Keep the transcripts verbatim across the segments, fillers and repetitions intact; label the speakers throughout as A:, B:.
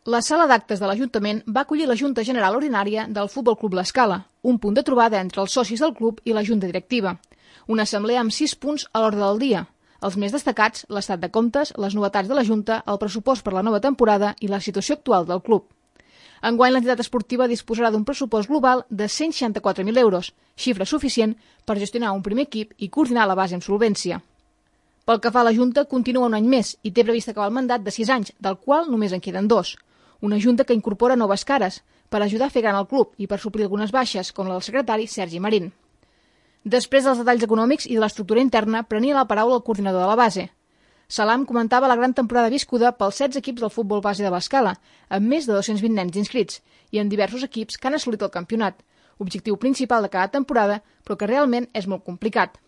A: La sala d'actes de l'Ajuntament va acollir la Junta General Ordinària del Futbol Club L'Escala, un punt de trobada entre els socis del club i la Junta Directiva. Una assemblea amb sis punts a l'ordre del dia. Els més destacats, l'estat de comptes, les novetats de la Junta, el pressupost per la nova temporada i la situació actual del club. Enguany, l'entitat esportiva disposarà d'un pressupost global de cent seixanta-quatre mil euros, xifra suficient per gestionar un primer equip i coordinar la base amb solvència. Pel que fa a la Junta, continua un any més i té previst acabar el mandat de sis anys, del qual només en queden dos. Una Junta que incorpora noves cares per ajudar a fer gran el club i per suplir algunes baixes, com la del secretari Sergi Marín. Després dels detalls econòmics i de l'estructura interna, prenia la paraula el coordinador de la base. Salam comentava la gran temporada viscuda pels setze equips del futbol base de l'Escala, amb més de dos-cents vint nens inscrits, i en diversos equips que han assolit el campionat, objectiu principal de cada temporada, però que realment és molt complicat.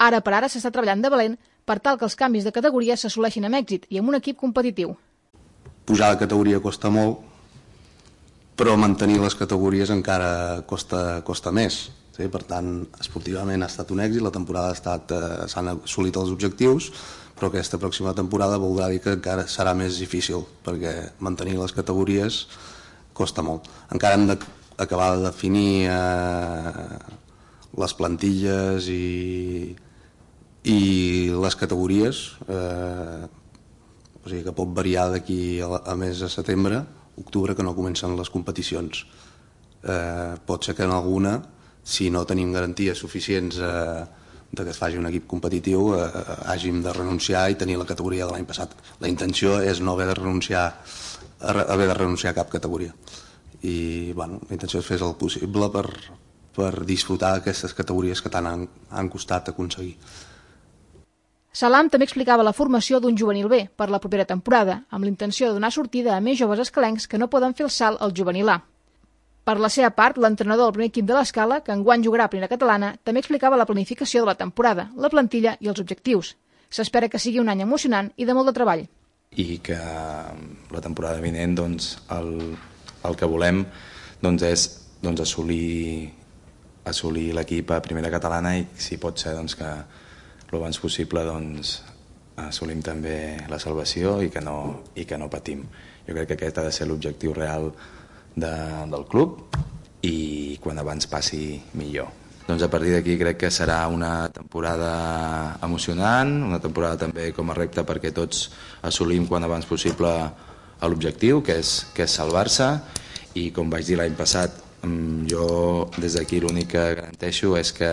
A: Ara per ara s'està treballant de valent per tal que els canvis de categoria s'assoleixin amb èxit i amb un equip competitiu.
B: Pujar de categoria costa molt, però mantenir les categories encara costa, costa més. Sí? Per tant, esportivament ha estat un èxit, la temporada ha estat, eh, s'han assolit els objectius, però aquesta pròxima temporada voldrà dir que encara serà més difícil, perquè mantenir les categories costa molt. Encara hem d'acabar de definir eh, les plantilles i, i les categories, eh, o sigui que pot variar d'aquí a, a mes de setembre, octubre, que no comencen les competicions. Eh, pot ser que en alguna, si no tenim garanties suficients eh, de que es faci un equip competitiu, eh, hàgim de renunciar i tenir la categoria de l'any passat. La intenció és no haver de renunciar a haver de renunciar a cap categoria. I bueno, la intenció és fer el possible per, per disfrutar d'aquestes categories que tant han, han costat aconseguir.
A: Salam també explicava la formació d'un juvenil B per la propera temporada, amb l'intenció de donar sortida a més joves escalencs que no poden fer el salt al juvenil A. Per la seva part, l'entrenador del primer equip de l'Escala, que enguany jugarà a Primera Catalana, també explicava la planificació de la temporada, la plantilla i els objectius. S'espera que sigui un any emocionant i de molt de treball.
C: I que la temporada vinent doncs, el, el que volem doncs, és doncs, assolir, assolir l'equip a Primera Catalana i si pot ser doncs, que el abans possible doncs, assolim també la salvació i que, no, i que no patim. Jo crec que aquest ha de ser l'objectiu real de, del club i quan abans passi millor. Doncs a partir d'aquí crec que serà una temporada emocionant, una temporada també com a repte perquè tots assolim quan abans possible l'objectiu, que és, que és salvar-se, i com vaig dir l'any passat, jo des d'aquí l'únic que garanteixo és que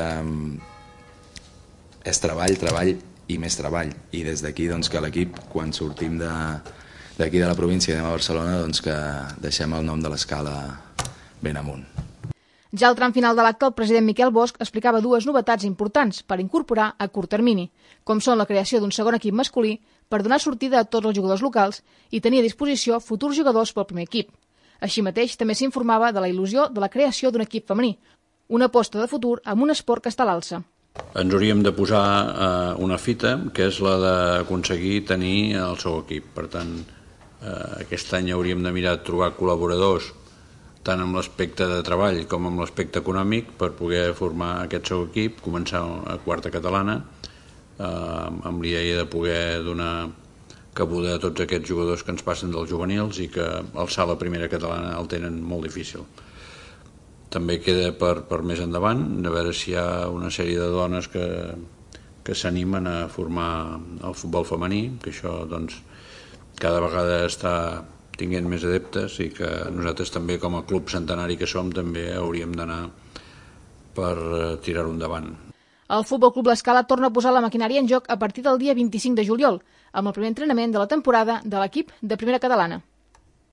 C: és treball, treball i més treball. I des d'aquí doncs, que l'equip, quan sortim d'aquí de, de la província i anem a Barcelona, doncs, que deixem el nom de l'Escala ben amunt.
A: Ja al tram final de l'acte, el president Miquel Bosch explicava dues novetats importants per incorporar a curt termini, com són la creació d'un segon equip masculí per donar sortida a tots els jugadors locals i tenir a disposició futurs jugadors pel primer equip. Així mateix, també s'informava de la il·lusió de la creació d'un equip femení, una aposta de futur amb un esport que està a l'alça.
D: Ens hauríem de posar eh, una fita, que és la d'aconseguir tenir el seu equip. Per tant, eh, aquest any hauríem de mirar de trobar col·laboradors tant amb l'aspecte de treball com amb l'aspecte econòmic per poder formar aquest seu equip, començar a quarta catalana, eh, amb l'idea de poder donar cabuda a tots aquests jugadors que ens passen dels juvenils i que alçar la primera catalana el tenen molt difícil. També queda per, per més endavant, de veure si hi ha una sèrie de dones que, que s'animen a formar el futbol femení, que això doncs, cada vegada està tinguent més adeptes i que nosaltres també com a club centenari que som també hauríem d'anar per tirar-ho endavant.
A: El Futbol Club L'Escala torna a posar la maquinària en joc a partir del dia vint-i-cinc de juliol, amb el primer entrenament de la temporada de l'equip de Primera Catalana.